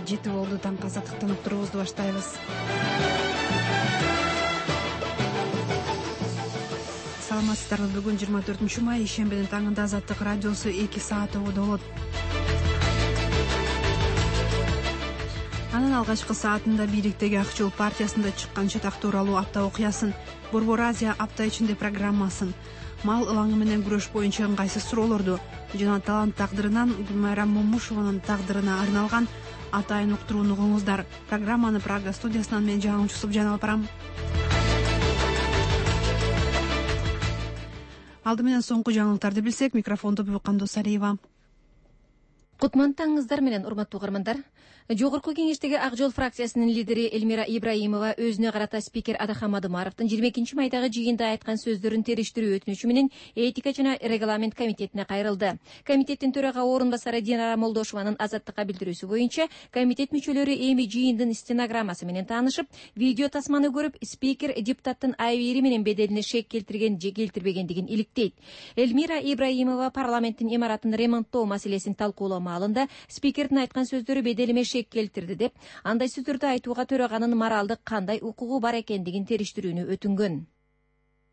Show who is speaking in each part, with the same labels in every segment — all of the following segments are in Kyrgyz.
Speaker 1: Саат 7 болду. Таңкы азаттыктын уктуруубузду баштайбыз. Саламатсыздарбы? Бүгүн 24 май ишембинин таңында Азаттык радиосу 2 саат ободо болот. Анын алгачкы саатында бийликтеги Ак жол партиясында чыккан чатак тууралуу апта окуясын, Борбор Азия апта ичинде программасын, мал ылаңы менен күрөш боюнча ыңгайсыз суроолорду жана талант тагдырынан Гүлмайрам Момушованын тагдырына арналган атайын уктурууну угуңуздар. Программаны Прага студиясынан мен жаңылчу Субжан алып барам. Алды менен соңку жаңылыктарды билсек, микрофонду Кандос Алиева.
Speaker 2: Кутман таңыңыздар менен, урматтуу угармандар. Жогорку кеңештеги Ак жол фракциясынын лидери Элмира Ибраимова өзүнө карата спикер Адахан Мадумаровдун 22 майдагы жыйында айткан сөздөрүн териштирүү өтүнүчү менен этика жана регламент комитетине кайрылды. Комитеттин төрага орун басары Динара Молдошованын Азаттыкка билдирүүсү боюнча, комитет мүчөлөрү эми жыйындын стенограммасы менен таанышып, видео тасманы көрүп, спикер депутаттын айбери менен беделине шек келтирген же келтирбегендигин иликтейт. Элмира Ибраимова парламенттин имаратын ремонттоо маселесин талкуулоо маалында спикердин айткан сөздөрү беделиме шек келтирди деп, андай сөздөрдү айтууга төраганын моралдык кандай укугу бар экендигин териштирүүнү өтүнгөн.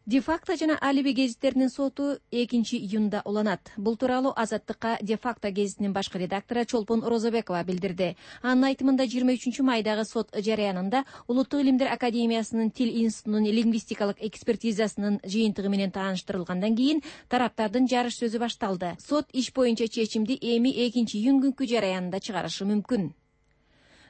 Speaker 2: Де-факто жана Алиби гезиттеринин соту 2-июнда уланат. Бул тууралуу Азаттыкка Де-факто гезитинин башкы редактору Чолпон Розобекова билдирди. Анын айтымында 23 майдагы сот жарыянында Улуттук илимдер академиясынын Тил институтунун лингвистикалык экспертизасынын жыйынтыгы менен тааныштырылгандан кийин тараптардын жарыш сөзү башталды. Сот иш боюнча чечимди эми 2-июнь күнкү жарыянында чыгарышы мүмкүн.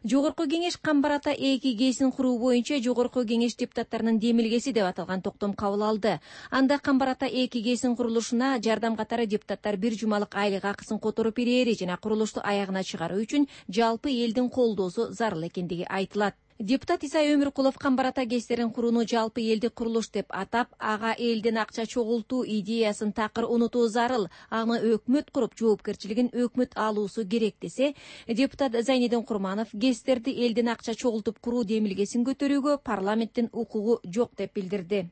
Speaker 2: Жогорку кеңеш Камбар ата 2 ГЭСин куруу боюнча Жогорку кеңеш депутаттарынын демилгеси деп аталган токтом кабыл алды. Анда Камбар ата 2 ГЭСин курулушуна жардам катары депутаттар 1 жумалык айлык акысын которуп берери жана курулушту аягына чыгаруу үчүн жалпы элдин колдоосу зарыл экендиги айтылат. Депутат Иса Өмүркулов Камбар ата ГЭСтерин курууну жалпы элдик курулуш деп атап, ага элден акча чогултуу идеясын такыр унутуу зарыл, аны өкмөт куруп жоопкерчилигин өкмөт алуусу керек десе, депутат Зайнидин Курманов ГЭСтерди элден акча чогултуп куруу демилгесин көтөрүүгө парламенттин укугу жок деп билдирди.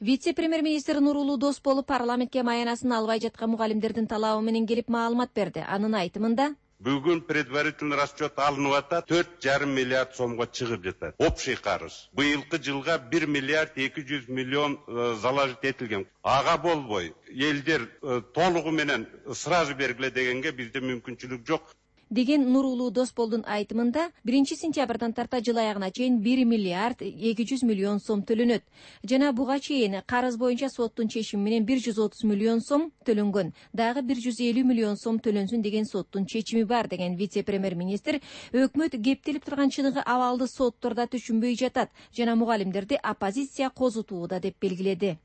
Speaker 2: Вице-премьер-министр Нурулуу Досболов парламентке маянасын албай жаткан мугалимдердин талабы менен келип маалымат берди. Анын айтымында
Speaker 3: бүгүн предварительный расчет алынып атат, 4,5 миллиард сомго чыгып жатат. Общий карыз. Быйылкы жылга 1 миллиард 200 миллион заложить этилген. Ага болбой, элдер толугу менен сразу бергиле дегенге бизде мүмкүнчүлүк жок.
Speaker 2: Деген Нурулуу Досболдун айтымында 1-сентябрдан тарта жыл аягына чейин 1 миллиард 200 миллион сом төлөнөт. Жана буга чейин карыз боюнча соттун чечими менен 130 миллион сом төлөнгөн. Дагы 150 миллион сом төлөнсүн деген соттун чечими бар деген вице-премьер-министр өкмөт кептелип турган чыныгы абалды сотторда түшүнбөй жатат жана мугалимдерди оппозиция козутууда деп белгиледи.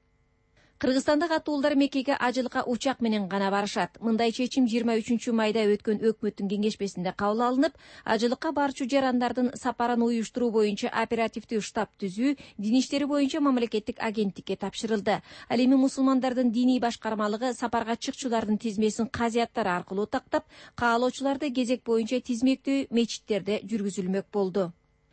Speaker 2: Кыргызстандык аттуулдар Меккеге ажылыкка учак менен гана барышат. Мындай чечим 23 майда өткөн өкмөттүн кеңешмесинде кабыл алынып, ажылыкка барчу жарандардын сапарын уюштуруу боюнча оперативдүү штаб түзүү дин иштери боюнча мамлекеттик агенттикке тапшырылды. Ал эми мусулмандардын диний башкармалыгы сапарга чыкчулардын тизмесин казыяттар аркылуу тактап, каалоочуларды кезек боюнча тизмектөө мечиттерде жүргүзүлмөк болду.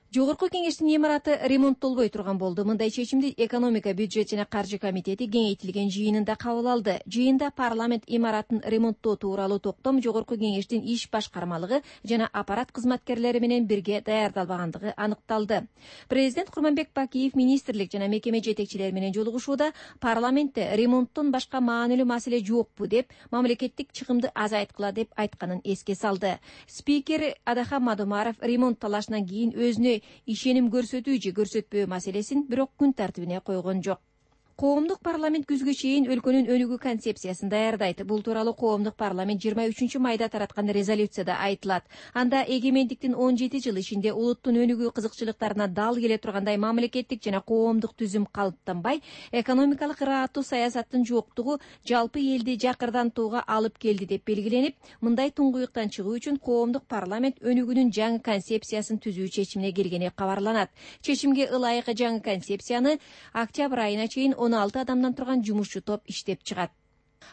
Speaker 2: Жогорку кеңештин имараты ремонттолбой турган болду. Мындай чечимди экономика, бюджет жана каржы комитети кеңейтилген жыйынында кабыл алды. Жыйында парламент имаратын ремонттоо тууралуу токтом жогорку кеңештин иш башкармалыгы жана аппарат кызматкерлери менен бирге даярдалбагандыгы аныкталды. Президент Курманбек Бакиев министрлик жана мекеме жетекчилери менен жолугушууда парламентте ремонттон башка маанилүү маселе жокпу деп, мамлекеттик чыгымды азайткыла деп айтканын эске салды. Спикер Адахан Мадумаров ремонт талашынан кийин өзүнө ишеним көрсөтүү же көрсөтпөө маселесин бирок күн тартибине койгон жок. Коомдук парламент күзгө чейин өлкөнүн өнүгүү концепциясын даярдайт. Бул тууралуу коомдук парламент 23 майда тараткан резолюцияда айтылат. Анда эгемендиктин 17 жыл ичинде улуттун өнүгүү кызыкчылыктарына дал келе тургандай мамлекеттик жана коомдук түзүм калыптанбай, экономикалык ырааттуу саясаттын жоктугу жалпы элди жакырдантууга алып келди деп белгиленип, мындай туңгуюктан чыгуу үчүн коомдук парламент өнүгүүнүн жаңы концепциясын түзүү чечимине келгени кабарланат. Чечимге ылайык жаңы концепцияны октябрь айына чейин 16 адамдан турган жумушчу топ иштеп чыгат.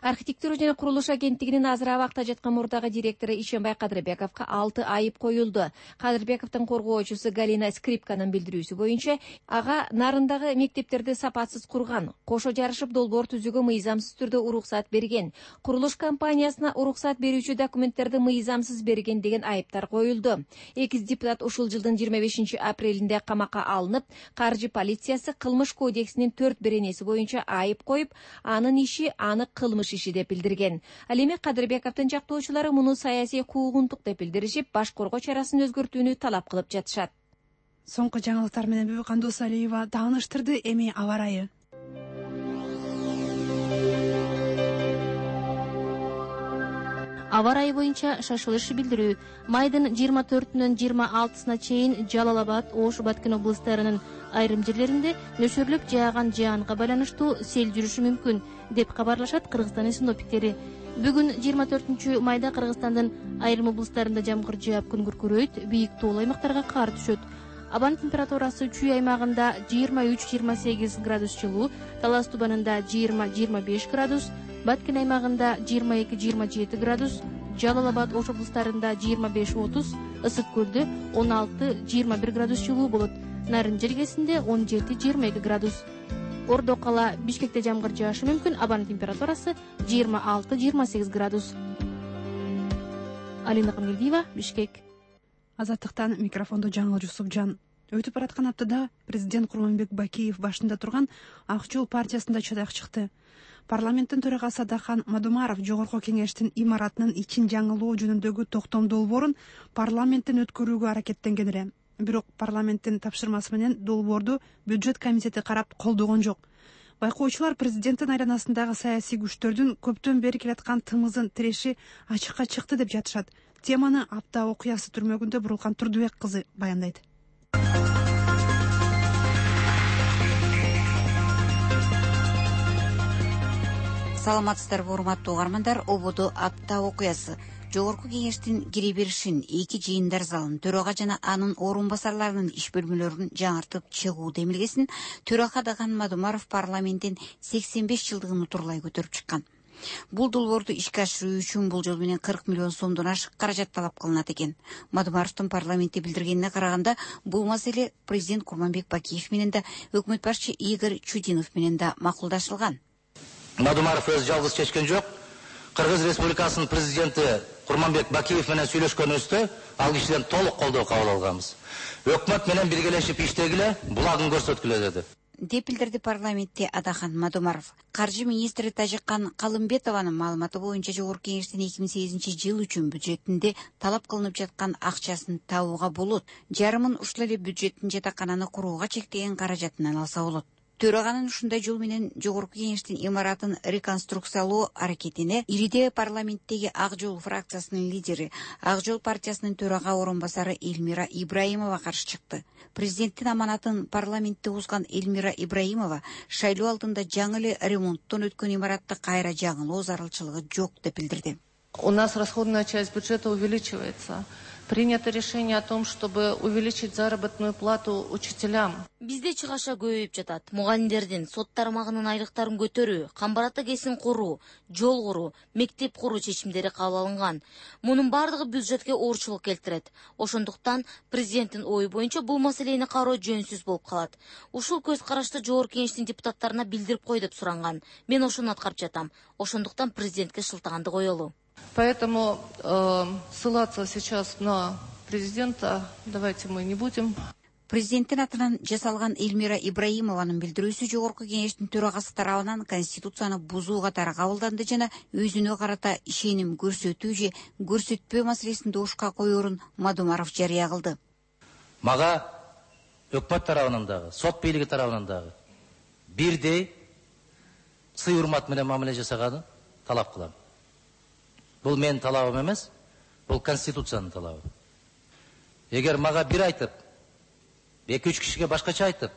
Speaker 2: Архитектура жана курулуш агенттигинин азыр абакта жаткан мурдагы директору Ишенбай Кадырбековго 6 айып коюлду. Кадырбековдун коргоочусу Галина Скрипканын билдирүүсү боюнча, ага нарындагы мектептерди сапатсыз курган, кошо жарышып долбоор түзүүгө мыйзамсыз түрдө уруксат берген, курулуш компаниясына уруксат берүүчү документтерди мыйзамсыз берген деген айыптар коюлду. Экиз депутат ушул жылдын 25 апрелинде камакка алынып, каржы полициясы кылмыш кодексинин 4 беренеси боюнча айып коюп, анын иши анык кылмыш иши деп билдирген. Ал эми Кадырбековдун жактоочулары муну саясий куугунтук деп билдиришип, баш коргоо чарасын өзгөртүүнү талап кылып жатышат.
Speaker 1: Соңку жаңылыктар менен Бүбүкан Досалиева тааныштырды. Эми аба ырайы.
Speaker 4: Аба ырайы боюнча шашылыш билдирүү. Майдын 24-нөн 26-сына чейин Жалал Абад, Ош, Баткен облустарынын айрым жерлеринде нөшөрлүк жааган жаанга байланыштуу сел жүрүшү мүмкүн деп кабарлашат Кыргызстандын синоптиктери. Бүгүн 24-майда Кыргызстандын айрым облустарында жамгыр жаап күн күркүрөйт, бийик тоолуу аймактарга кар түшөт. Абанын температурасы Чүй аймагында 23-28 градус жылуу, Талас Тубанында 20-25 градус, Баткен аймагында 22-27 градус, Жалал Абад, Ош облустарында 25-30, Ысык көлдө 16-21 градус жылуу болот. Нарын жергесинде 17-22 градус. Ордо кала, Бишкекте жамгыр жаашы мүмкүн, абанын температурасы 26-28 градус. Алина Камилдиева, Бишкек.
Speaker 1: Азаттыктан микрофондо Жаңыл Жусупжан. Өтүп бараткан аптада президент Курманбек Бакиев башында турган Ак жол партиясында чыдак чыкты. Парламенттин төрагасы Адахан Мадумаров жогорку кеңештин имаратынын ичин жаңылоо жөнүндөгү токтом долбоорун парламенттен өткөрүүгө аракеттенген эле. Бирок парламенттин тапшырмасы менен долбоорду бюджет комитети карап колдогон жок. Байкоочулар президенттин айланасындагы саясий күчтөрдүн көптөн бери келаткан тымызын тиреши ачыкка чыкты деп жатышат. Теманы апта окуясы түрмөгүндө Бурулкан Турдубек кызы баяндайт.
Speaker 5: Саламатсыздарбы, урматтуу угармандар. Ободо апта окуясы. Жогорку кеңештин кире беришин, эки жыйындар залын, төрага жана анын орун басарларынын иш бөлмөлөрүн жаңыртып чыгуу демилгесин төрага Адахан Мадумаров парламенттин 85 жылдыгын утурлай көтөрүп чыккан. Бул долбоорду ишке ашыруу үчүн бул жол менен 40 миллион сомдон ашык каражат талап кылынат экен. Мадумаровдун парламентте билдиргенине караганда, бул маселе президент Курманбек Бакиев менен да, өкмөт башчы Игорь Чудинов менен да макулдашылган.
Speaker 6: Мадумаров өз жалгыз чечкен жок. Кыргыз Республикасынын президенти Курманбек Бакиев менен сүйлөшкөнүбүздө ал кишиден толук колдоо кабыл алганбыз. Өкмөт менен биргелешип иштегиле, булагын көрсөткүлө деди.
Speaker 5: Деп билдирди парламентте Адахан Мадумаров. Каржы министри Тажиккан Калымбетованын маалыматы боюнча жогорку кеңештин 2008 жыл үчүн бюджетинде талап кылынып жаткан акчасын табууга болот. Жарымын ушул эле бюджеттин жатакананы курууга чектеген каражатынан алса болот. Төраганын ушундай жол менен жогорку кеңештин имаратын реконструкциялоо аракетине ириде парламенттеги Ак жол фракциясынын лидери, Ак жол партиясынын төрага орун басары Эльмира Ибраимова каршы чыкты. Президенттин аманатын парламентте узган Эльмира Ибраимова шайлоо алдында жаңы эле ремонттон өткөн имаратты кайра жаңылоо зарылчылыгы жок деп билдирди.
Speaker 7: У нас расходная часть бюджета увеличивается. Принято решение о том, чтобы увеличить заработную плату учителям.
Speaker 8: Бизде чыгаша көбөйүп жатат. Мугалимдердин сот тармагынын айлыктарын көтөрүү, камбарата кесим куруу, жол куруу, мектеп куруу чечимдери кабыл алынган. Мунун бардыгы бюджетке оорчулук келтирет. Ошондуктан президенттин ою боюнча бул маселени кароо жөнсүз болуп калат. Ушул көз карашты жогорку кеңештин депутаттарына билдирип кой деп суранган. Мен ошону аткарып жатам. Ошондуктан президентке шылтаганды коелу.
Speaker 7: Поэтому ссылаться сейчас на президента давайте мы не будем.
Speaker 5: Президенттин атынан жасалган Эльмира Ибраимованын билдирүүсү жогорку кеңештин төрагасы тарабынан конституцияны бузуу катары кабылданды жана өзүнө карата ишеним көрсөтүү же көрсөтпөө маселесин добушка коерун Мадумаров жарыя кылды.
Speaker 6: Мага өкмөт тарабынан дагы, сот бийлиги тарабынан дагы бирдей сый урмат менен мамиле жасаганын талап кылам. Бул менин талабым эмес, бул конституциянын талабы. Эгер мага бир айтып, 2-3 кишиге башкача айтып,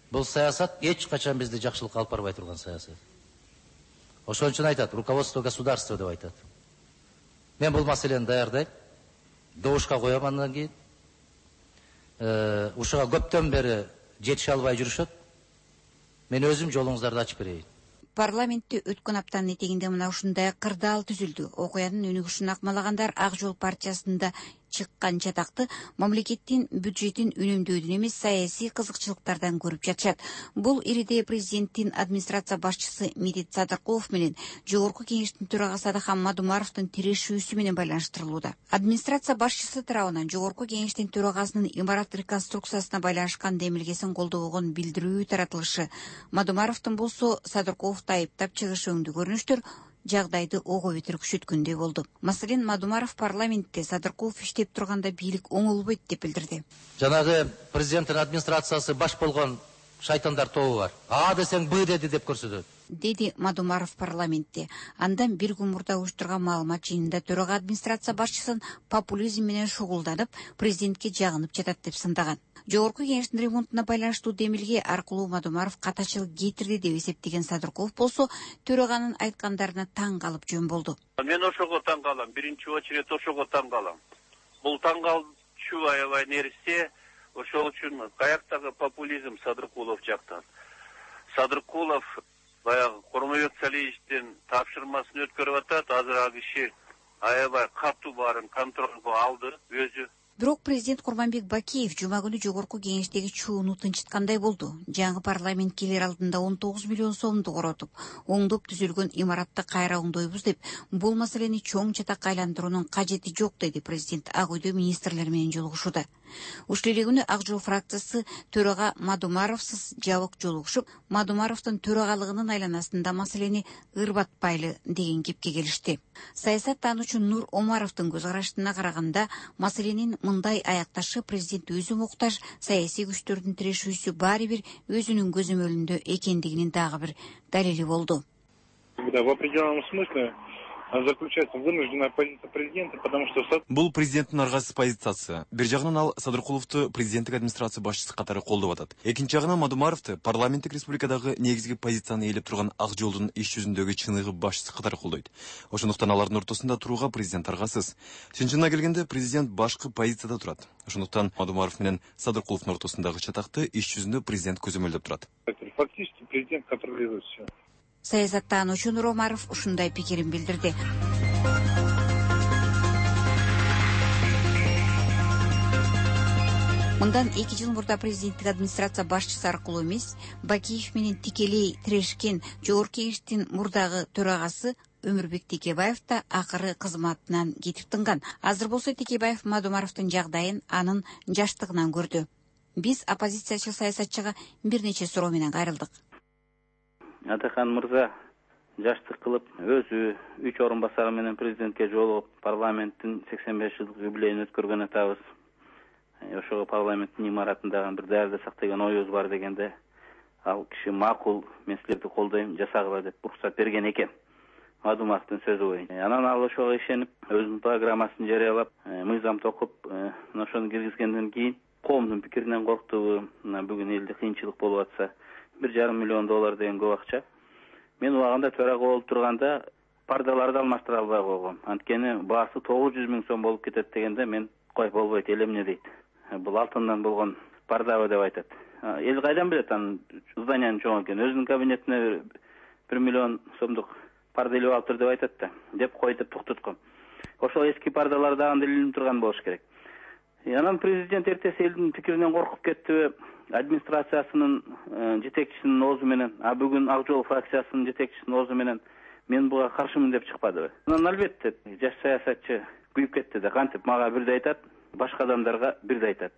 Speaker 6: бул саясат эч качан бизди жакшылыкка алып барбай турган саясат. Ошон үчүн айтат, руководство государства деп айтат. Мен бул маселени даярдайм, добушка коем андан кийин. Ушуга көптөн бери жетише албай жүрүшөт. Мен өзүм жолуңуздарды ачып берейин.
Speaker 5: Парламентте өткөн аптанын этегинде мына ушундай кырдаал түзүлдү. Окуянын өнүгүшүн акмалагандар Ак жол партиясында чыккан чатакты мамлекеттин бюджетин үнөмдөөдөн эмес саясий кызыкчылыктардан көрүп жатышат. Бул ириде президенттин администрация башчысы Медет Садыркулов менен жогорку кеңештин төрагасы Адахан Мадумаровдун тирешүүсү менен байланыштырылууда. Администрация башчысы тарабынан жогорку кеңештин төрагасынын имарат реконструкциясына байланышкан демилгесин колдобогон билдирүү таратылышы, Мадумаровдун болсо Садыркуловду айыптап чыгышы өңдүү көрүнүштөр жагдайды ого бетер күчөткөндөй болду. Маселен, Мадумаров парламентте Садыркулов иштеп турганда бийлик оңолбойт деп билдирди.
Speaker 6: Жанагы президенттин администрациясы баш болгон шайтандар тобу бар. А десең Б деди деп көрсөтөт.
Speaker 5: Деди Мадумаров парламентте. Андан бир күн мурда уюштурган маалымат жыйынында төрага администрация башчысын популизм менен шугулданып, президентке жагынып жатат деп сындаган. Жогорку кеңештин ремонтуна байланыштуу демилге аркылуу Мадумаров катачылык кетирди деп эсептеген Садыркулов болсо төраганын айткандарына таң калып жөн болду.
Speaker 9: Мен ошого таң калам, биринчи очередь ошого таң калам. Бул таң калчу аябай нерсе, ошол үчүн каяктагы популизм Садыркулов жактан. Садыркулов баягы Кормойбек Салиевичтин тапшырмасын өткөрүп атат, азыр ал киши аябай катуу баарын контролго алды өзү.
Speaker 5: Бирок президент Курманбек Бакиев жума күнү жогорку кеңештеги чууну тынчыткандай болду. Жаңы парламент келер алдында 19 миллион сомду коротуп, оңдоп түзүлгөн имаратты кайра оңдойбуз деп, бул маселени чоң чатакка айландыруунун кажети жок деди президент Ак үйдө министрлер менен жолугушууда. Ушул эле күнү Ак жол фракциясы төрага Мадумаровсуз жабык жолугушуп, Мадумаровдун төрагалыгынын айланасында маселени ырбатпайлы деген кепке келишти. Саясаттануучу Нур Омаровдун көз карашына караганда, маселенин мындай аякташы президент өзү муктаж, саясий күчтөрдүн тирешүүсү баары бир өзүнүн көзөмөлүндө экендигинин дагы бир далили болду.
Speaker 10: В определенном смысле заключается вынужденная позиция президента, потому что
Speaker 11: бул президенттин аргасыз позициясы. Бир жагынан ал Садыркуловду президенттик администрация башчысы катары колдоп атат. Экинчи жагынан Мадумаровду парламенттик республикадагы негизги позицияны ээлеп турган Ак жолдун иш жүзүндөгү чыныгы башчысы катары колдойт. Ошондуктан алардын ортосунда турууга президент аргасыз. Чынчына келгенде президент башкы позицияда турат. Ошондуктан Мадумаров менен Садыркуловдун ортосундагы чатакты иш жүзүндө президент көзөмөлдөп турат.
Speaker 10: Фактически президент контролирует все.
Speaker 5: Саясаттануучу Нур Омаров ушундай пикирин билдирди. Мындан 2 жыл мурда президенттик администрация башчысы аркылуу эмес, Бакиев менен тикелей тирешкен жогорку кеңештин мурдагы төрагасы Өмүрбек Текебаев да акыры кызматынан кетип тынган. Азыр болсо Текебаев Мадумаровдун жагдайын анын жаштыгынан көрдү. Биз оппозициячыл саясатчыга бир нече суроо менен кайрылдык.
Speaker 12: Адахан мырза жаштык кылып өзү 3 орун басары менен президентке жолугуп парламенттин 85 жылдык юбилейин өткөргөн атабыз. Ошого парламенттин имаратындагы бир даярдасак деген оюбуз бар дегенде ал киши макул, мен силерди колдойм, жасагыла деп уруксат берген экен. Мадумаровдун сөзү боюнча. Анан ал ошого ишенип өзүнүн программасын жарыялап, мыйзам токуп, ошону киргизгенден кийин коомдун пикиринен корктубу, бүгүн элде кыйынчылык болуп атса, $1,5 миллион деген көп акча. Мен убагында төрага болуп турганда пардаларды алмаштыра албай койгом. Анткени баасы 900 000 сом болуп кетет дегенде мен кой болбойт, эл эмне дейт. Бул алтындан болгон пардабы деп айтат. Эл кайдан билет анын зданиянын чоң экенин? Өзүнүн кабинетине 1 миллион сомдук парда илип алыптыр деп айтат да. Деп кой деп токтотком. Ошол эски пардалар дагы илинип турган болуш керек. Анан президент эртеси элдин пикиринен коркуп кеттиби? Администрациясынын жетекчисинин оозу менен, бүгүн Ак жол фракциясынын жетекчисинин оозу менен мен буга каршымын деп чыкпадыбы? Анан албетте жаш саясатчы күйүп кетти да, кантип мага бирди айтат, башка адамдарга бирди айтат.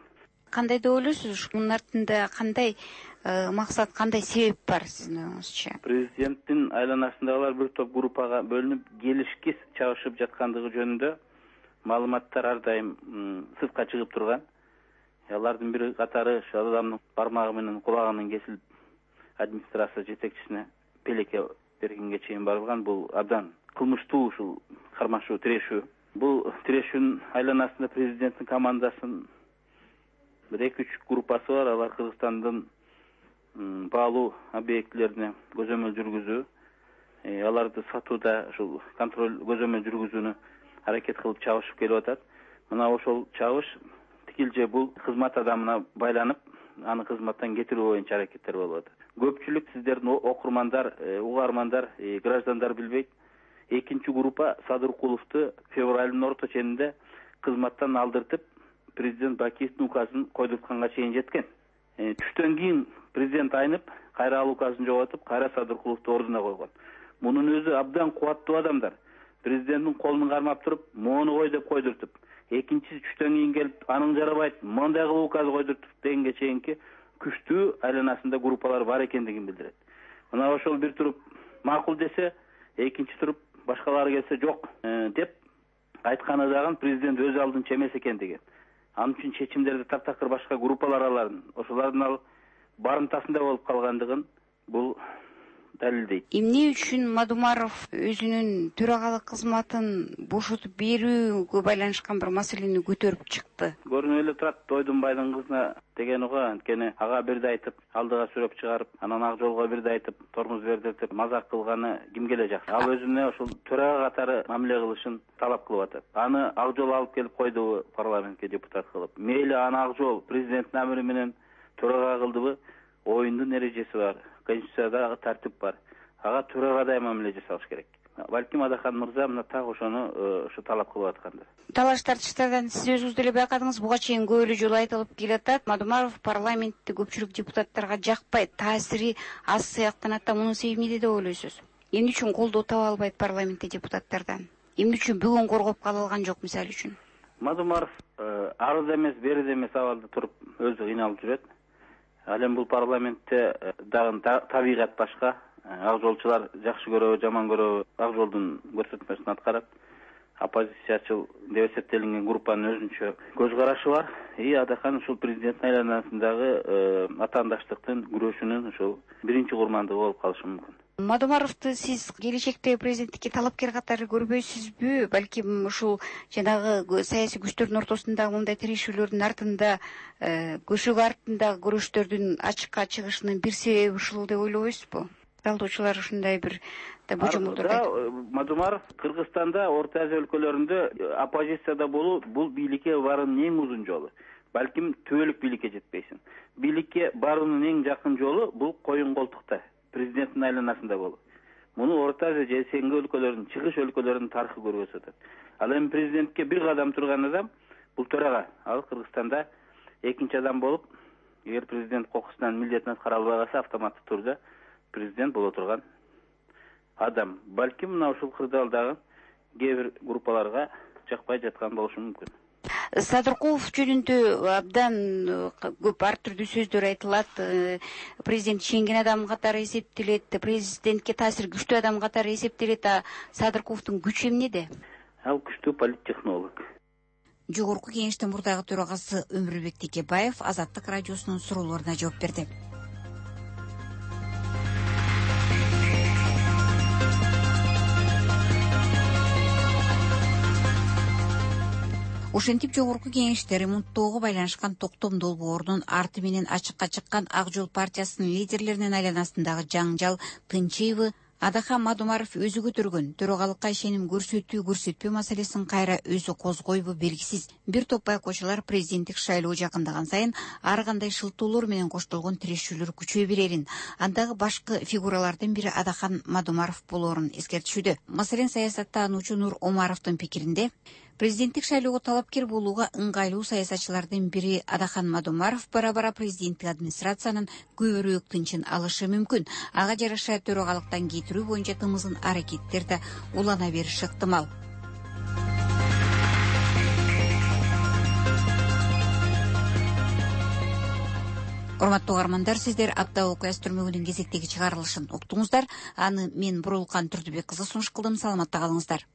Speaker 5: Кандай деп ойлойсуз? Мунун артында кандай максат, кандай себеп бар сиздин оюңузча?
Speaker 12: Президенттин айланасындагылар бир топ группага бөлүнүп келишкис чабышып жаткандыгы жөнүндө маалыматтар ар дайым сыртка чыгып турган. Алардын бири катары ошол адамдын бармагы менен кулагынын кесилип администрация жетекчисине пелеке бергенге чейин барылган. Бул абдан кылмыштуу ушул кармашуу, тирешүү. Бул тирешүүнүн айланасында президенттин командасынын бир 2-3 группасы бар. Алар Кыргызстандын баалуу объектилерине көзөмөл жүргүзүү, аларды сатууда ушул контроль көзөмөл жүргүзүүнү аракет кылып чабышып келип атат. Мына ошол чабыш тикилже бул кызмат адамына байланып, аны кызматтан кетирүү боюнча аракеттер болуп атат. көпчүлүк сиздердин окурмандар, угармандар, граждандар билбейт. Экинчи группа Садыркуловду февралдын орто ченинде кызматтан алдыртып, президент Бакиевдин указын койдуртканга чейин жеткен. Түштөн кийин президент айнып, кайра ал указын жоготуп, кайра Садыркуловду ордуна койгон. Мунун өзү абдан кубаттуу адамдар. Президенттин колун кармап туруп, мону кой деп койдуртуп, экинчиси түштөн кийин келип, анын жарабайт, мондай кылып указ койдуртуп дегенге чейинки күчтүү айланасында группалар бар экендигин билдирет. Мына ошол бир туруп макул десе, экинчи туруп башкалары келсе жок деп айтканы дагы президент өз алдынча эмес экендиги. Анын үчүн чечимдерди таптакыр башка группалар аларын, ошолордун ал барымтасында болуп калгандыгын бул далилдейт.
Speaker 5: Эмне үчүн Мадумаров өзүнүн төрагалык кызматын бошотуп берүүгө байланышкан бир маселени көтөрүп чыкты?
Speaker 12: Көрүнүп эле турат, Ойдунбайдын кызына деген го, анткени ага бирде айтып, алдыга сүрөп чыгарып, анан Ак жолго бирде айтып, тормуз бердиртип, мазак кылганы кимге эле жакшы. Ал өзүнө ошол төрага катары мамиле кылышын талап кылып атат. Аны Ак жол алып келип койдубу парламентке депутат кылып? Мейли аны Ак жол президенттин амри менен төрага кылдыбы? Оюндун эрежеси бар. Конституцияда тартип бар. Ага төрагада мамиле жасалыш керек. Балким Адахан мырза мына так ошону талап кылып аткандыр.
Speaker 5: Талаш тартыштардан сиз өзүңүз деле байкадыңыз, буга чейин көп эле жолу айтылып келатат. Мадумаров парламентте көпчүлүк депутаттарга жакпайт, таасири аз сыяктанат да, мунун себеби эмнеде деп ойлойсуз? Эмне үчүн колдоо таба албайт парламентте депутаттардан? Эмне үчүн бүгүн коргоп кала алган жок мисалы үчүн?
Speaker 12: Мадумаров арыда эмес, бериде эмес абалда туруп өзү кыйналып жүрөт. Ал эми бул парламентте дагы табигат башка. Ак жолчулар жакшы көрөбү, жаман көрөбү, Ак жолдун көрсөтмөсүн аткарат. Оппозициячыл деп эсептелинген группанын өзүнчө көз карашы бар. Адахан ушул президенттин айланасындагы атаандаштыктын күрөшүнүн ушул биринчи курмандыгы болуп калышы мүмкүн.
Speaker 5: Мадумаровду сиз келечекте президенттикке талапкер катары көрбөйсүзбү? Балким ушул жанагы саясий күчтөрдүн ортосундагы мындай тирешүүлөрдүн артында, көшөгө артындагы күрөштөрдүн ачыкка чыгышынын бир себеби ушул деп ойлобойсузбу? Талдоочулар ушундай бир божомолдорду айтып.
Speaker 12: Мадумаров Кыргызстанда, Орто Азия өлкөлөрүндө оппозицияда болуу бул бийликке баруунун эң узун жолу. Балким түбөлүк бийликке жетпейсиң. Бийликке баруунун эң жакын жолу бул коюн колтукта, президенттин айланасында болуу. Муну Орто Азия же СНГ өлкөлөрүнүн, чыгыш өлкөлөрүнүн тарыхы көрсөтөт. Ал эми президентке бир кадам турган адам бул төрага. Ал Кыргызстанда экинчи адам болуп, эгер президент кокусунан милдетин аткара албай калса, автоматтуу турда президент боло турган адам. Балким мына ушул кырдаалдагы кээ бир группаларга жакпай жаткан болушу мүмкүн.
Speaker 5: Садыркулов жөнүндө абдан көп ар түрдүү сөздөр айтылат. Президент ишенген адам катары эсептелет, президентке таасири күчтүү адам катары эсептелет. Садыркуловдун күчү эмнеде?
Speaker 12: Ал күчтүү политтехнолог.
Speaker 5: Жогорку кеңештин мурдагы төрагасы Өмүрбек Текебаев Азаттык радиосунун суроолоруна жооп берди. Ошентип жогорку кеңеште ремонттоого байланышкан токтом долбоорунун арты менен ачыкка чыккан Ак жол партиясынын лидерлеринин айланасындагы жаңжал тынчыйбы? Адахан Мадумаров өзү көтөргөн төрагалыкка ишеним көрсөтпөө маселесин кайра өзү козгойбу белгисиз. Бир топ байкоочулар президенттик шайлоо жакындаган сайын ар кандай шылтоолор менен коштолгон тирешүүлөр күчөй берерин, андагы башкы фигуралардын бири Адахан Мадумаров болоорун эскертишүүдө. Маселен, саясаттануучу Нур Омаровдун пикиринде, президенттик шайлоого талапкер болууга ыңгайлуу саясатчылардын бири Адахан Мадумаров бара-бара президенттик администрациянын көбүрөөк тынчын алышы мүмкүн. Ага жараша төрагалыктан кетирүү боюнча тымызын аракеттер да улана бериши ыктымал. Урматтуу угармандар, сиздер апта окуя түрмөгүнүн кезектеги чыгарылышын уктуңуздар. Аны мен Бурулкан Турдубек кызы сунуш кылдым. Саламатта калыңыздар.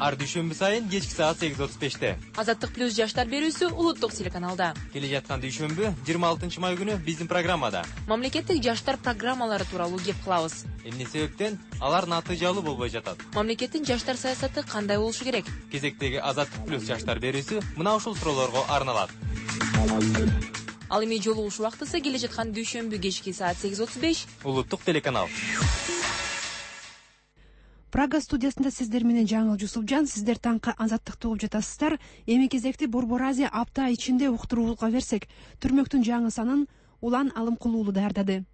Speaker 13: Ар дүйшөмбү сайын кечки саат 8:35-те
Speaker 14: Азаттык плюс жаштар берүүсү улуттук телеканалда.
Speaker 13: Келе жаткан дүйшөмбү 26 май күнү биздин программада
Speaker 14: Мамлекеттик жаштар программалары тууралуу кеп кылабыз.
Speaker 13: Эмне себептен алар натыйжалуу болбой жатат?
Speaker 14: Мамлекеттин жаштар саясаты кандай болушу керек?
Speaker 13: Кезектеги Азаттык плюс жаштар берүүсү мына ушул суроолорго арналат.
Speaker 14: Ал эми жолугуш убактысы келе жаткан дүйшөмбү кечки саат 8:35
Speaker 13: улуттук телеканал.
Speaker 1: Прага студиясында сиздер менен Жаңыл Жусупжан. Сиздер таңкы Азаттыкты угуп жатасыздар. Эми кезекти Борбор Азия апта ичинде уктурууда берсек, түрмөктүн жаңы санын Улан Алымкулуу даярдады.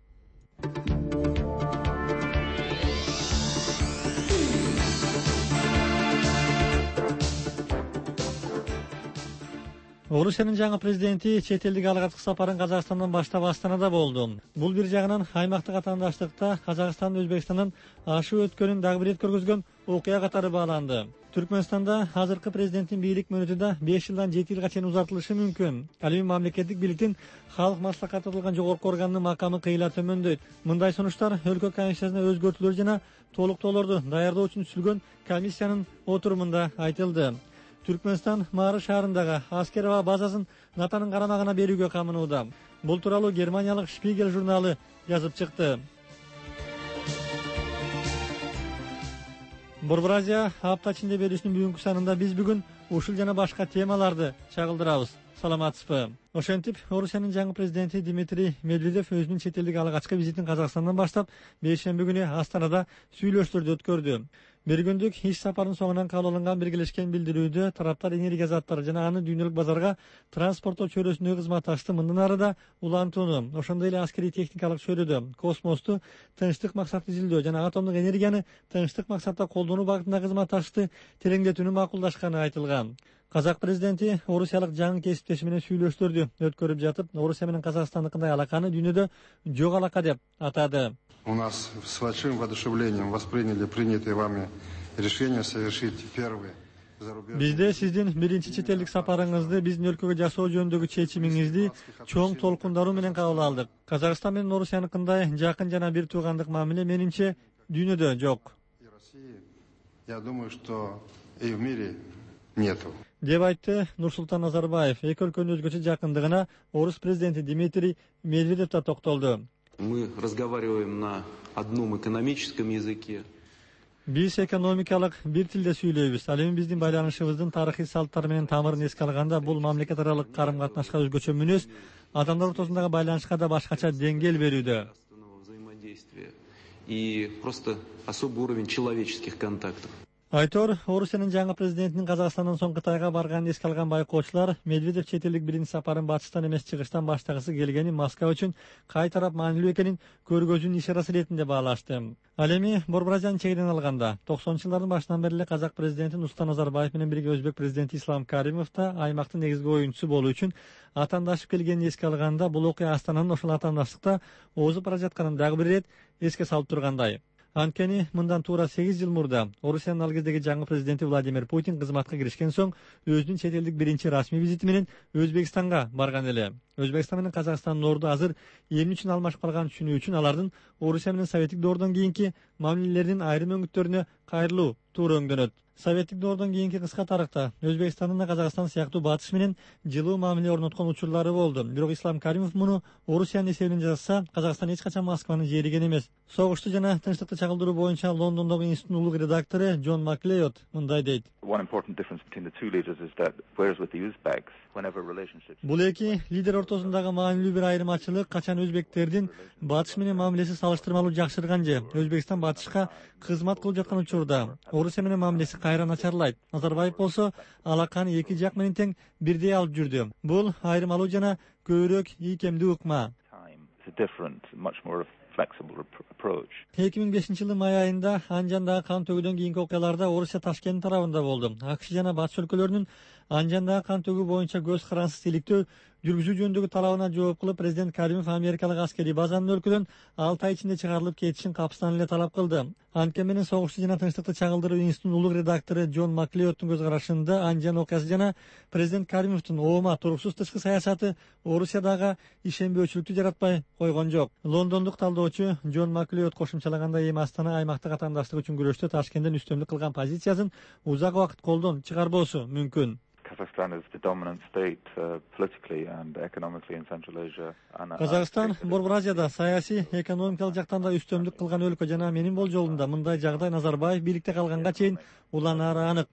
Speaker 15: Орусиянын жаңы президенти чет элдик алгачкы сапарын Казакстандан баштап Астанада болду. Бул бир жагынан аймактык атаандаштыкта Казакстан Өзбекстандан ашып өткөнүн дагы бир рет көргөзгөн окуя катары бааланды. Түркмөнстанда азыркы президенттин бийлик мөөнөтү да 5 жылдан 7 жылга чейин узартылышы мүмкүн. Ал эми мамлекеттик бийликтин Халык маслакаты кылган жогорку органынын макамы кыйла төмөндөйт. Мындай сунуштар өлкө конституциясына өзгөртүүлөр жана толуктоолорду даярдоо үчүн түзүлгөн комиссиянын отурумунда айтылды. Түркмөнстан Мары шаарындагы аскер аба базасын НАТОнун карамагына берүүгө камынууда. Бул тууралуу германиялык Шпигель журналы жазып чыкты. Борбор Азия апта ичинде берүүсүнүн бүгүнкү санында биз бүгүн ушул жана башка темаларды чагылдырабыз. Саламатсызбы? Ошентип, Орусиянын жаңы президенти Дмитрий Медведев өзүнүн чет элдик алгачкы визитин Казакстандан баштап бейшемби күнү Астанада сүйлөшүүлөрдү өткөрдү. Бир күндүк иш сапарынын соңунан кабыл алынган биргелешкен билдирүүдө тараптар энергия заттары жана аны дүйнөлүк базарга транспорттоо чөйрөсүндөгү кызматташты мындан ары да улантууну, ошондой эле аскерий техникалык чөйрөдө космосту тынчтык максатты изилдөө жана атомдук энергияны тынчтык максатта колдонуу багытында кызматташты тереңдетүүнү макулдашканы айтылган. Казак президенти орусиялык жаңы кесиптеши менен сүйлөшүүлөрдү өткөрүп жатып, Орусия менен Казакстандыкындай алаканы дүйнөдө жок алака деп атады.
Speaker 16: У нас с большим воодушевлением восприняли принятые вами решение совершить первый зарубежный.
Speaker 15: Бизде сиздин биринчи чет элдик сапарыңызды биздин өлкөгө жасоо жөнүндөгү чечимиңизди чоң толкундаруу менен кабыл алдык. Казакстан менен Орусияныкындай жакын жана бир туугандык мамиле менимче дүйнөдө жок.
Speaker 16: Я думаю, что и в мире нету.
Speaker 15: Деп айтты Нурсултан Назарбаев. Эки өлкөнүн өзгөчө жакындыгына орус президенти Дмитрий Медведев да токтолду.
Speaker 17: Мы разговариваем на одном экономическом языке.
Speaker 15: Биз экономикалык бир тилде сүйлөйбүз. Ал эми биздин байланышыбыздын тарыхый салттары менен тамырын эске алганда бул мамлекет аралык карым-катнашка өзгөчө мүнөз, адамдар ортосундагы байланышка да башкача деңгээл берүүдө.
Speaker 17: И просто особый уровень человеческих контактов.
Speaker 15: Айтор, Орусиянын жаңы президентинин Казакстандан соң Кытайга барганын эске алган байкоочулар Медведев чет элдик биринчи сапарын батыштан эмес чыгыштан баштагысы келгени Москва үчүн кай тарап маанилүү экенин көргөзүүнүн ишарасы иретинде баалашты. Ал эми Борбор Азиянын чегинен алганда 90-жылдардын башынан бери эле казак президенти Нурсултан Назарбаев менен бирге өзбек президенти Ислам Каримов да аймактын негизги оюнчусу болуу үчүн атаандашып келгенин эске алганда бул окуя Астананын ошол атаандаштыкта озуп бара жатканын дагы бир рет эске салып тургандай. Анткени мындан туура 8 жыл мурда Орусиянын ал кездеги жаңы президенти Владимир Путин кызматка киришкен соң өзүнүн чет элдик биринчи расмий визити менен Өзбекстанга барган эле. Өзбекстан менен Казакстандын орду азыр эмне үчүн алмашып калганын түшүнүү үчүн алардын Орусия менен Советтик доордон кийинки мамилелеринин айрым өңүттөрүнө кайрылуу туура өңдөнөт. Советтик доордон кийинки кыска тарыхта Өзбекстандын да Казакстан сыяктуу батыш менен жылуу мамиле орноткон учурлары болду. Бирок Ислам Каримов муну Орусиянын эсебинен жасаса, Казакстан эч качан Москваны жээриген эмес. Согушту жана тынчтыкты чагылдыруу боюнча Лондондогу институттун улук редактору Джон Маклейот мындай дейт. Бул эки лидер ортосундагы маанилүү бир айырмачылык качан өзбектердин батыш менен мамилеси салыштырмалуу жакшырган же Өзбекстан батышка кызмат кылып жаткан учурда Орусия менен мамилеси кайра начарлайт. Назарбаев болсо алаканы эки жак менен тең бирдей алып жүрдү. Бул айырмалуу жана көбүрөөк ийкемдүү ыкма. 2005 жылдын май айында Анжандагы кан төгүүдөн кийинки окуяларда Орусия Ташкент тарабында болду. АКШ жана батыш өлкөлөрүнүн Анжандагы кан төгүү боюнча көз карансыз иликтөө жүргүзүү жөнүндөгү талабына жооп кылып президент Каримов америкалык аскерий базанын өлкөдөн 6 ай ичинде чыгарылып кетишин капыстан эле талап кылды. Анткени менен согушту жана тынчтыкты чагылдыруу институттунун улук редактору Джон Маклейоттун көз карашында Анжан окуясы жана президент Каримовдун оома туруксуз тышкы саясаты Орусиядагы ишенбөөчүлүктү жаратпай койгон жок. Лондондук талдоочу Джон Маклейот кошумчалагандай эми Астана аймактык атаандаштык үчүн күрөштө Ташкенттен үстөмдүк кылган позициясын узак убакыт колдон чыгарбоосу мүмкүн. Казакстан Борбор Азияда саясий, экономикалык жактан да үстөмдүк кылган өлкө жана менин болжолумда мындай жагдай Назарбаев бийликте калганга чейин уланары анык.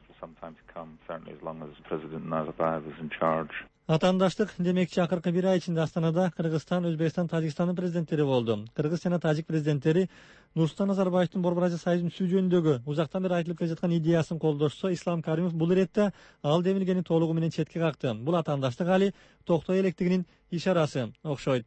Speaker 15: Атаандаштык демекчи акыркы бир ай ичинде Астанада Кыргызстан, Өзбекстан, Тажикстандын президенттери болду. Кыргыз жана Тажик президенттери Нурсултан Назарбаевдин Борбор Азия союзун түзүү жөнүндөгү узактан бери айтылып келе жаткан идеясын колдошсо, Ислам Каримов бул иретте ал демилгени толугу менен четке какты. Бул атаандаштык али токтой электигинин ишарасы окшойт.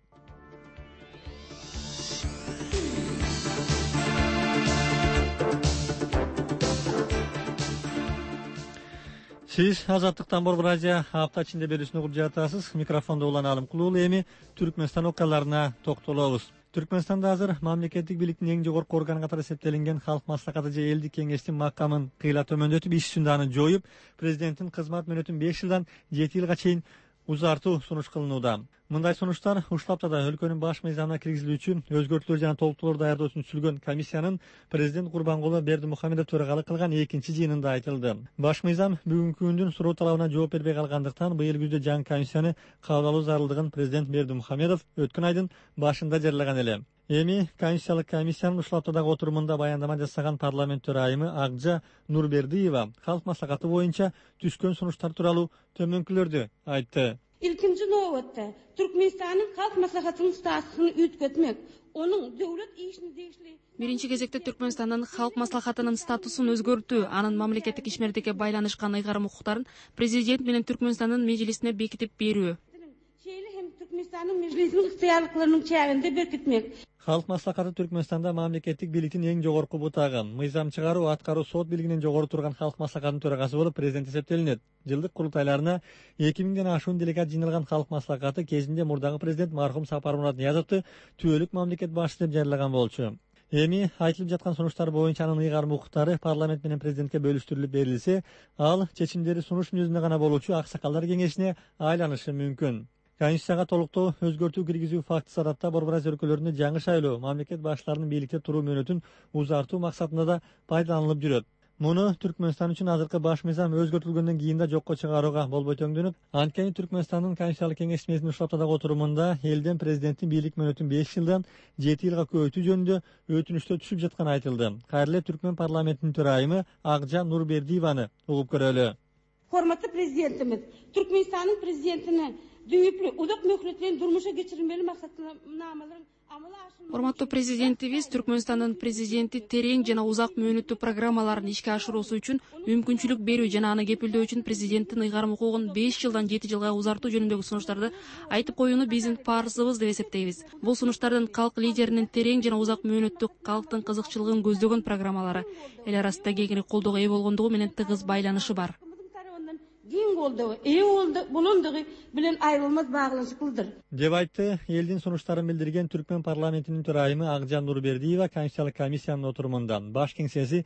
Speaker 15: Siz Azatlıktan Borbo Azia hafta içinde берүүсүн угуп жатасыз. Микрофонду Улан Алымкулуулу. Эми Түркмөнстан окуяларына токтолобуз. Түркмөнстанда азыр мамлекеттик бийликтин эң жогорку органы катары эсептелинген Халк маслакаты же элдик кеңештин макамын кыйла төмөндөтүп, иш сүнданы жоюп, президенттин кызмат мөөнөтүн 5 жылдан 7 жылга чейин узартуу сунуш кылынууда. Мындай сунуштар ушул аптада өлкөнүн баш мыйзамына киргизилүүчү өзгөртүүлөр жана толуктоолор даярдоо үчүн түзүлгөн комиссиянын президент Курбангулы Бердимухамедов төрагалык кылган экинчи жыйынында айтылды. Баш мыйзам бүгүнкү күндүн суроо талабына жооп бербей калгандыктан быйыл күздө жаңы комиссияны кабыл алуу зарылдыгын президент Бердимухамедов өткөн айдын башында жарыяган эле. Эми Конституциялык комиссиянын ушул аптадагы отурумунда баяндама жасаган парламент төрайымы Акжа Нурбердиева Халк маслакаты боюнча түшкөн сунуштар тууралуу төмөнкүлөрдү айтты.
Speaker 18: İlkinci nöbetde Türkmenistan'ın halk maslahatının statüsünü ütketmek, onun devlet işini değişli.
Speaker 14: Биринчи кезекте Түркмөнстандын халк маслахатынын статусун өзгөртүү, анын мамлекеттик ишмердикке байланышкан ыйгарым укуктарын президент менен Түркмөнстандын мejlisine бекитип берүү.
Speaker 18: Şeýle hem Türkmenistan'ın mejlisinin ihtiyarlıklarının çäginde berkitmek.
Speaker 15: Халк маслакаты Түркмөнстанда мамлекеттик бийликтин эң жогорку бутагы, мыйзам чыгаруу, аткаруу, сот бийлигинен жогору турган халк маслакатынын төрагасы болуп президент эсептелинет. Жылдык курултайларына 2000ден ашуун делегат жыйналган халк маслакаты кезинде мурдагы президент мархум Сапармурат Ниязовду түбөлүк мамлекет башчысы деп жарыяган болчу. Эми айтылып жаткан сунуштар боюнча анын ыйгарым укуктары парламент менен президентке бөлүштүрүлүп берилсе, ал чечимдери сунуш мүнөзүндө гана болуучу аксакалдар кеңешине айланышы мүмкүн. Конституцияга толуктоо өзгөртүү киргизүү фактысы аратта Борбор Азия өлкөлөрүндө жаңы шайлоо, мамлекет башчыларынын бийликте туруу мөөнөтүн узартуу максатында да пайдаланылып жүрөт. Муну Түркмөнстан үчүн азыркы баш мыйзам өзгөртүлгөндөн кийин да жокко чыгарууга болбой төңдөнүп, анткени Түркмөнстандын Конституциялык кеңешмесинин ушул аптадагы отурумунда элден президенттин бийлик мөөнөтүн 5 жылдан 7 жылга көбөйтүү жөнүндө өтүнүчтөр түшүп жатканы айтылды. Кайра эле Түркмөн парламентинин төрайымы Акжа Нурбердиеваны угуп көрөлү.
Speaker 18: Hormatly prezidentimiz, Türkmenistan'ın prezidentini düýüplü, uzak möhletlerini durmuşa geçirilmeli maksatnamalaryň amala aşyrmagy.
Speaker 14: Урматтуу президентибиз Түркмөнстандын президенти терең жана узак мөөнөттүү программаларын ишке ашыруусу үчүн мүмкүнчүлүк берүү жана аны кепилдөө үчүн президенттин ыйгарым укугун 5 жылдан 7 жылга узартуу жөнүндөгү сунуштарды айтып коюуну биздин парызыбыз деп эсептейбиз. Бул сунуштардын калк лидеринин терең жана узак мөөнөттүү калктын кызыкчылыгын көздөгөн программалары эл арасында кеңири колдоого ээ болгондугу менен тыгыз байланышы бар.
Speaker 18: Giň boldugy, boldu, bulundugy bilen aýrylmaz baglanşyklydyr.
Speaker 15: Деп айтты элдин сунуштарын билдирген Түркмөн парламентинин төрайымы Акжа Нурбердиева Конституциялык комиссиянын отурумунда. Баш кеңсеси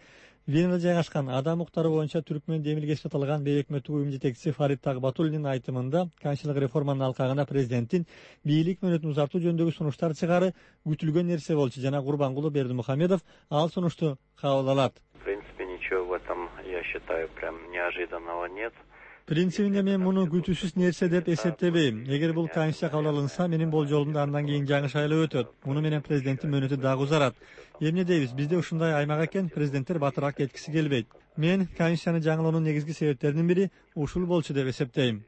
Speaker 15: Венада жайгашкан адам укуктары боюнча Түркмөн демилгеси аталган бейөкмөттүк уюм жетекчиси Фарид Тагбатуллинин айтымында конституциялык реформанын алкагында президенттин бийлик мөөнөтүн узартуу жөнүндөгү сунуштар чыгары күтүлгөн нерсе болчу жана Курбангулы Бердимухамедов ал сунушту кабыл алат.
Speaker 19: В принципе, ничего в этом, я считаю, прям неожиданного нет.
Speaker 15: Принцибинде мен муну күтүүсүз нерсе деп эсептебейм. Эгер бул конституция кабыл алынса, менин болжолумда андан кийин жаңы шайлоо өтөт. Муну менен президенттин мөөнөтү дагы узарат. Эмне дейбиз? Бизде ушундай аймак экен, президенттер батыраак кеткиси келбейт. Мен конституцияны жаңылоонун негизги себептеринин бири ушул болчу деп эсептейм.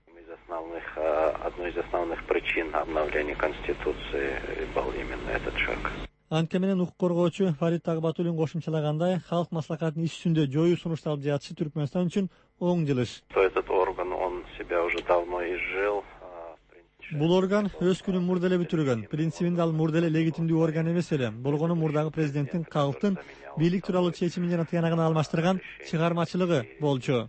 Speaker 19: Одной из основных причин обновления Конституции был именно этот шаг.
Speaker 15: Анткени менен укук коргоочу Фарид Тагбатуллин кошумчалагандай, халк маслакатынын иш жүзүндө жоюу сунушталып жатышы Түркмөнстан үчүн оң жылыш.
Speaker 19: Этот орган, он себя уже давно изжил.
Speaker 15: Бул орган өз күнүн мурда эле бүтүргөн. Принцибинде ал мурда эле легитимдүү орган эмес эле. Болгону мурдагы президенттин калктын бийлик тууралуу чечимин жана тыянагын алмаштырган чыгармачылыгы болчу.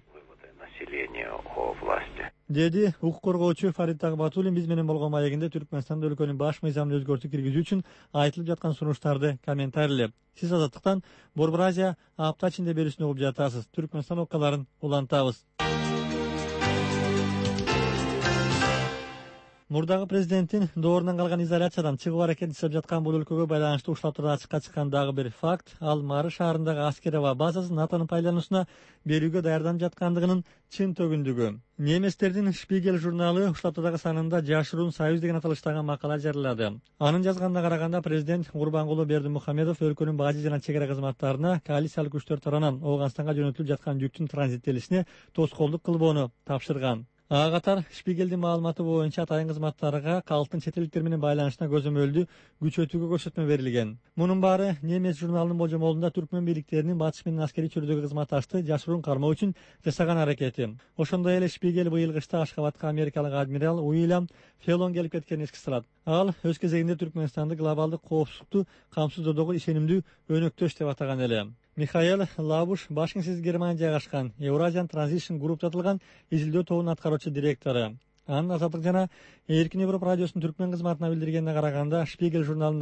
Speaker 15: Деди укук коргоочу Фарид Тагбатуллин биз менен болгон маегинде Түркмөнстанда өлкөнүн баш мыйзамын өзгөртүү киргизүү үчүн айтылып жаткан сунуштарды комментарийлеп. Сиз Азаттыктан Борбор Азия апта ичинде берүүсүн угуп жатасыз. Түркмөнстан окуяларын улантабыз. Мурдагы президенттин доорунан калган изоляциядан чыгуу аракети жасап жаткан бул өлкөгө байланыштуу ушул аптада ачыкка чыккан дагы бир факт, ал Мары шаарындагы аскер аба базасын НАТОнун пайдалануусуна берүүгө даярданып жаткандыгынын чын төгүндүгү. Немецтердин Шпигель журналы ушул аптадагы санында Жашыруун Союз деген аталыштагы макала жарыялады. Анын жазганына караганда президент Курбангулы Бердимухамедов өлкөнүн бажы жана чек ара кызматтарына коалициялык күчтөр тарабынан Ооганстанга жөнөтүлүп жаткан жүктүн транзиттелишине тоскоолдук кылбоону тапшырган. Ага катар Шпигелдин маалыматы боюнча атайын кызматтарга калктын чет элдиктер менен байланышына көзөмөлдүү күчөтүүгө көрсөтмө берилген. Мунун баары Немец журналынын болжомолунда Түркмөн бийликтеринин батыш менен аскерий чөйрөдөгү кызматташты жашыруун кармоо үчүн жасаган аракети. Ошондой эле Шпигель быйыл кышта Ашхабадка америкалык адмирал Уильям Феллон келип кеткенин эске салат. Ал өз кезегинде Түркмөнстанды глобалдык коопсуздукту камсыздоодогу ишенимдүү өнөктөш деп атаган эле. Михаил Лабуш Башкингсиз Германия жайгашкан Eurasian Transition Group аталган изилдөө тобунун аткаруучу директору. Анын Азаттык жана Эркин Европа радиосунун түркмен кызматына билдиргенине караганда, Шпигель журналында